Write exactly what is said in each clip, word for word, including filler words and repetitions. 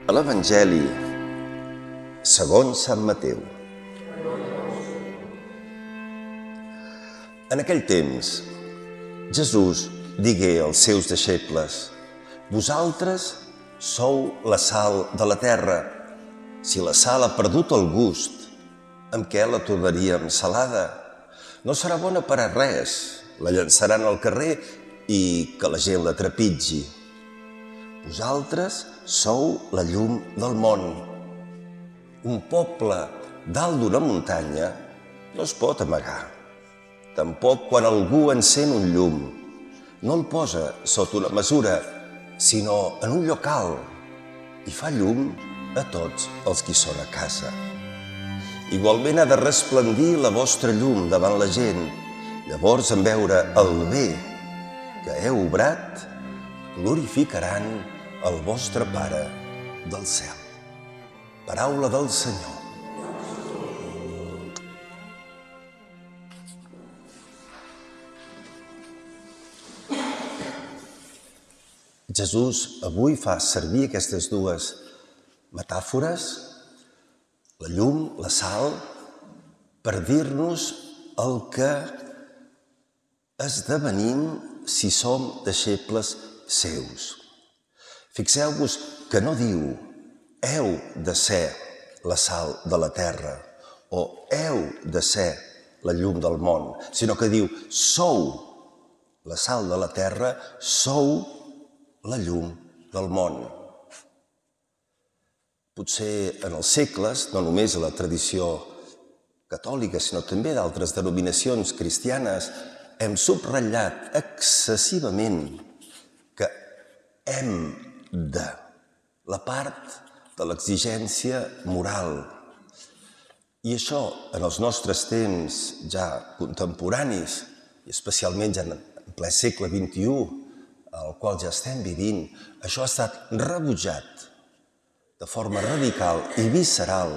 A l'Evangeli segons Sant Mateu. En aquell temps, Jesús digué als seus deixebles: «Vosaltres sou la sal de la terra. Si la sal ha perdut el gust, amb què la tornaríem salada? No serà bona per a res, la llançaran al carrer i que la gent la trepitgi. Vosaltres sou la llum del món. Un poble dalt d'una muntanya no es pot amagar. Tampoc quan algú encén un llum, no el posa sota una mesura, sinó en un lloc alt, i fa llum a tots els qui són a casa. Igualment ha de resplendir la vostra llum davant la gent, llavors en veure el bé que heu obrat, glorificaran el vostre Pare del cel». Paraula del Senyor. Jesús avui fa servir aquestes dues metàfores, la llum, la sal, per dir-nos el que esdevenim si som deixebles seus. Fixeu-vos que no diu «heu de ser la sal de la terra» o «heu de ser la llum del món», sinó que diu «sou la sal de la terra, sou la llum del món». Potser en els segles, no només a la tradició catòlica, sinó també d'altres denominacions cristianes, hem subratllat excessivament que hem de, la part de l'exigència moral. I això, en els nostres temps ja contemporanis, i especialment ja en ple segle vint-i-u, al qual ja estem vivint, això ha estat rebutjat de forma radical i visceral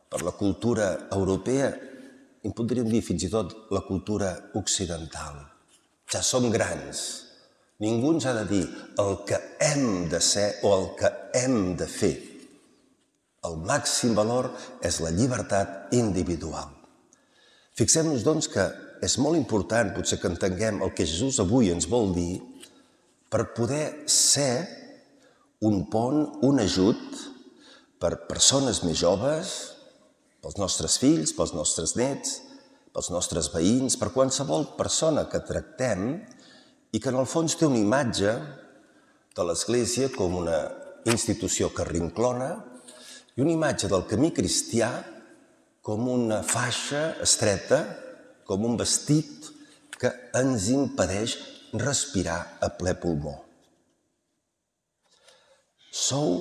per la cultura europea, i podríem dir fins i tot la cultura occidental. Ja som grans. Ningú ens ha de dir el que hem de ser o el que hem de fer. El màxim valor és la llibertat individual. Fixem-nos, doncs, que és molt important, potser que entenguem el que Jesús avui ens vol dir, per poder ser un pont, un ajut per persones més joves, pels nostres fills, pels nostres nets, pels nostres veïns, per qualsevol persona que tractem i que en el fons té una imatge de l'Església com una institució que rinclona i una imatge del camí cristià com una faixa estreta, com un vestit que ens impedeix respirar a ple pulmó. Sou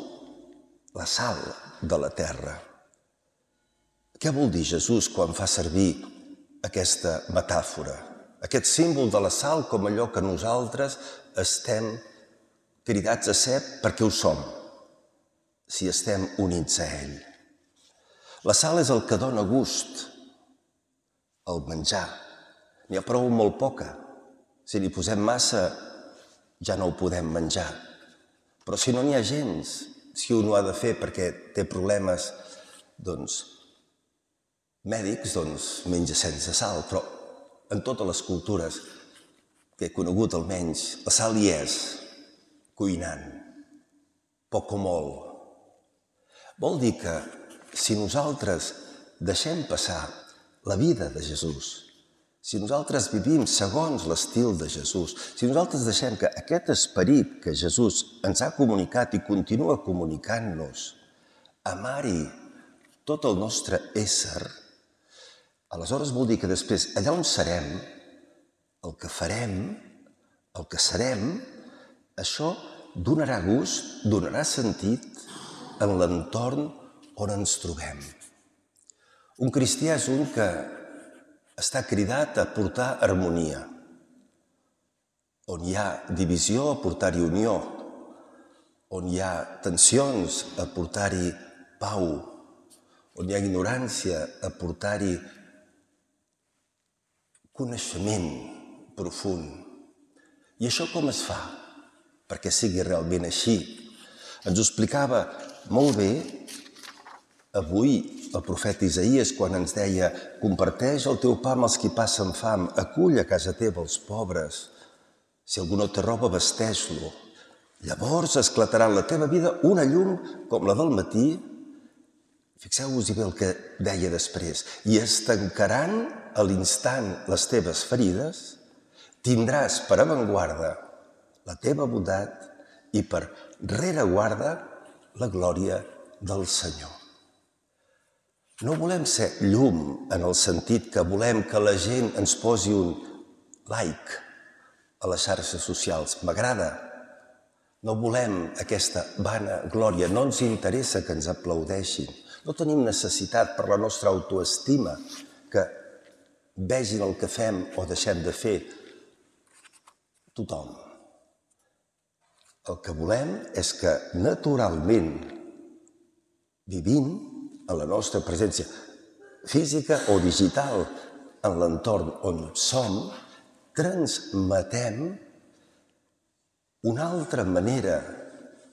la sal de la terra. Què vol dir Jesús quan fa servir aquesta metàfora? Aquest símbol de la sal com allò que nosaltres estem cridats a ser perquè ho som, si estem units a ell. La sal és el que dona gust al menjar. N'hi ha prou molt poca. Si n'hi posem massa, ja no ho podem menjar. Però si no n'hi ha gens, si un ho ha de fer perquè té problemes, doncs, mèdics, doncs menja sense sal. Però en totes les cultures que he conegut almenys, la sal hi és, cuinant, poc o molt. Vol dir que si nosaltres deixem passar la vida de Jesús, si nosaltres vivim segons l'estil de Jesús, si nosaltres deixem que aquest esperit que Jesús ens ha comunicat i continua comunicant-nos amari tot el nostre ésser, aleshores vol dir que després, allà on serem, el que farem, el que serem, això donarà gust, donarà sentit en l'entorn on ens trobem. Un cristià és un que està cridat a portar harmonia. On hi ha divisió, a portar-hi unió. On hi ha tensions, a portar-hi pau. On hi ha ignorància, a portar-hi coneixement profund. I això com es fa? Perquè sigui realment així. Ens ho explicava molt bé avui el profeta Isaïes quan ens deia comparteix el teu pa amb els qui passen fam, acull a casa teva els pobres, si algú no té roba vesteix-lo. Llavors esclatarà en la teva vida una llum com la del matí. Fixeu-vos-hi bé el que deia després. I es tancaran a l'instant les teves ferides, tindràs per avantguarda la teva bondat i per rereguarda la glòria del Senyor. No volem ser llum en el sentit que volem que la gent ens posi un like a les xarxes socials. M'agrada. No volem aquesta vana glòria. No ens interessa que ens aplaudeixin. No tenim necessitat per la nostra autoestima que vegin el que fem o deixem de fer tothom. El que volem és que naturalment, vivint en la nostra presència física o digital en l'entorn on som, transmetem una altra manera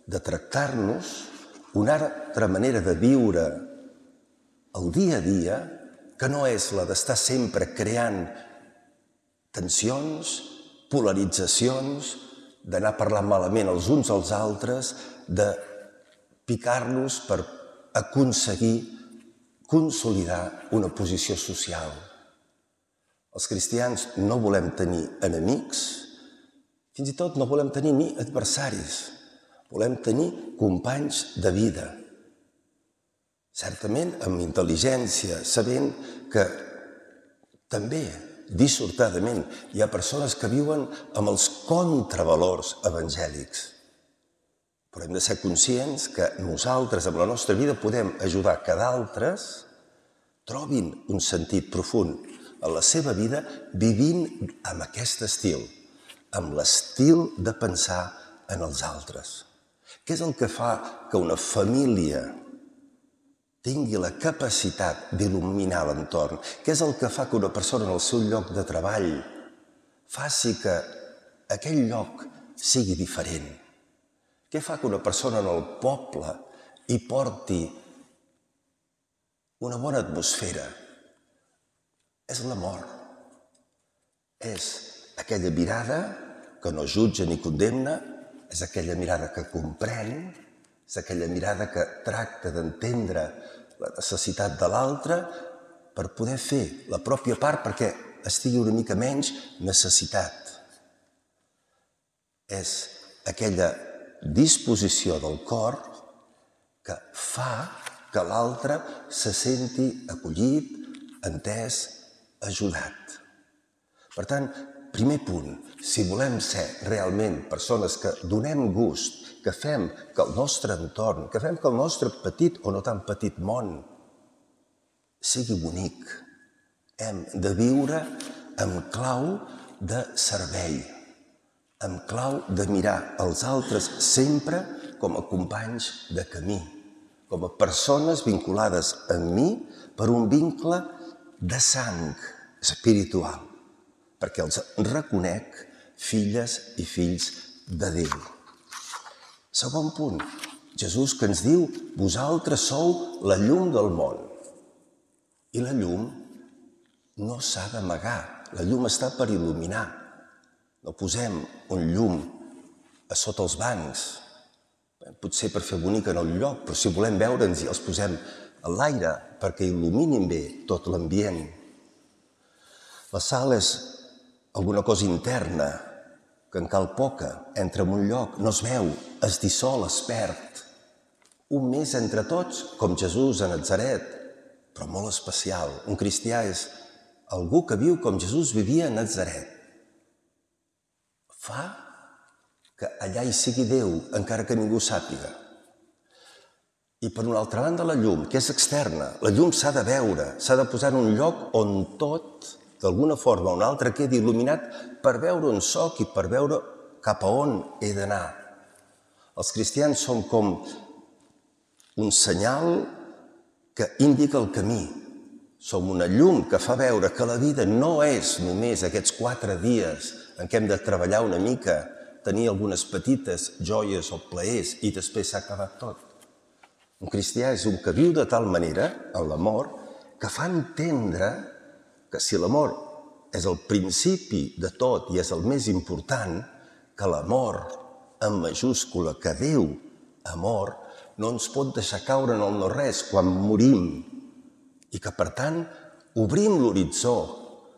de tractar-nos, una altra manera de viure el dia a dia, que no és la d'estar sempre creant tensions, polaritzacions, d'anar parlant malament els uns als altres, de picar-nos per aconseguir consolidar una posició social. Els cristians no volem tenir enemics, fins i tot no volem tenir ni adversaris, volem tenir companys de vida. Certament amb intel·ligència, sabent que també, dissortadament, hi ha persones que viuen amb els contravalors evangèlics. Però hem de ser conscients que nosaltres, amb la nostra vida, podem ajudar que d'altres trobin un sentit profund en la seva vida vivint amb aquest estil, amb l'estil de pensar en els altres. Què és el que fa que una família tingui la capacitat d'il·luminar l'entorn? Què és el que fa que una persona en el seu lloc de treball faci que aquell lloc sigui diferent? Què fa que una persona en el poble hi porti una bona atmosfera? És l'amor. És aquella mirada que no jutja ni condemna, és aquella mirada que comprèn, és aquella mirada que tracta d'entendre la necessitat de l'altre per poder fer la pròpia part perquè estigui una mica menys necessitat. És aquella disposició del cor que fa que l'altre se senti acollit, entès, ajudat. Per tant, primer punt, si volem ser realment persones que donem gust, que fem que el nostre entorn, que fem que el nostre petit o no tan petit món sigui bonic, hem de viure amb clau de servei, amb clau de mirar els altres sempre com a companys de camí, com a persones vinculades amb mi per un vincle de sang espiritual, perquè els reconec filles i fills de Déu. Segon punt, Jesús que ens diu vosaltres sou la llum del món. I la llum no s'ha d'amagar, la llum està per il·luminar. No posem un llum a sota els bancs, potser per fer bonic en el lloc, però si volem veure'ns i els posem a l'aire perquè il·luminin bé tot l'ambient. La sal és alguna cosa interna, que en cal poca, entra en un lloc, no es veu, es dissol, es perd. Un més entre tots, com Jesús a Natzaret, però molt especial. Un cristià és algú que viu com Jesús vivia a Natzaret. Fa que allà hi sigui Déu, encara que ningú sàpiga. I per una altra banda la llum, que és externa. La llum s'ha de veure, s'ha de posar en un lloc on tot, d'alguna forma o una altra, quedi il·luminat per veure on soc i per veure cap a on he d'anar. Els cristians som com un senyal que indica el camí. Som una llum que fa veure que la vida no és només aquests quatre dies en què hem de treballar una mica, tenir algunes petites joies o plaers i després s'ha acabat tot. Un cristià és un que viu de tal manera, en l'amor, que fa entendre que si l'amor és el principi de tot i és el més important, que l'amor, en majúscula, que Déu, amor, no ens pot deixar caure en el no-res quan morim i que, per tant, obrim l'horitzó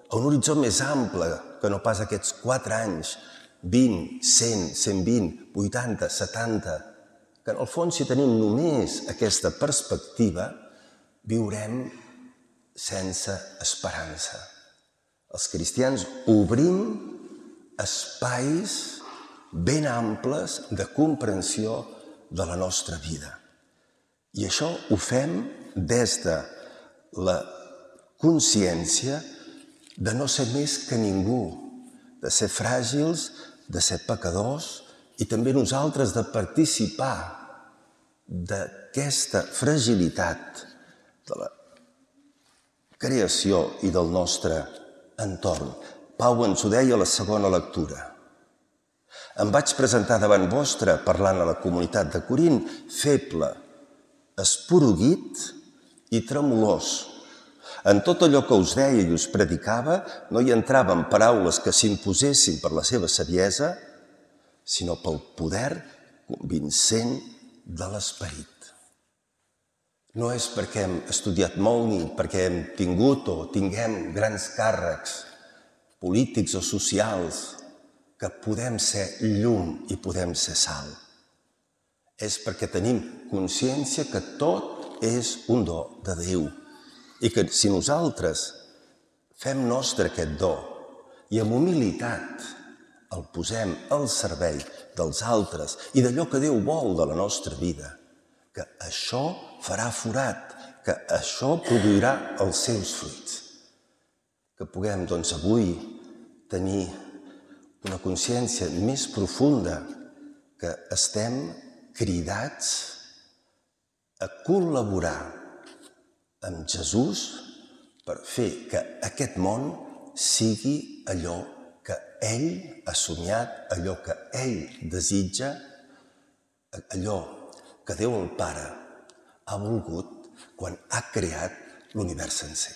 a un horitzó més ample que no pas aquests quatre anys, vint, cent, cent vint, vuitanta, setanta, que en el fons, si tenim només aquesta perspectiva, viurem sense esperança. Els cristians obrim espais ben amples de comprensió de la nostra vida. I això ho fem des de la consciència de no ser més que ningú, de ser fràgils, de ser pecadors i també nosaltres de participar d'aquesta fragilitat de la creació i del nostre entorn. Pau ens ho deia a la segona lectura. Em vaig presentar davant vostre, parlant a la comunitat de Corint, feble, esporuguit i tremolós. En tot allò que us deia i us predicava no hi entraven paraules que s'imposessin per la seva saviesa, sinó pel poder convincent de l'esperit. No és perquè hem estudiat molt ni perquè hem tingut o tinguem grans càrrecs polítics o socials que podem ser llum i podem ser sal. És perquè tenim consciència que tot és un do de Déu i que si nosaltres fem nostre aquest do i amb humilitat el posem al servei dels altres i d'allò que Déu vol de la nostra vida, que això farà forat, que això produirà els seus fruits. Que puguem, doncs, avui tenir una consciència més profunda que estem cridats a col·laborar amb Jesús per fer que aquest món sigui allò que ell ha somiat, allò que ell desitja, allò que Déu el Pare ha volgut quan ha creat l'univers sencer.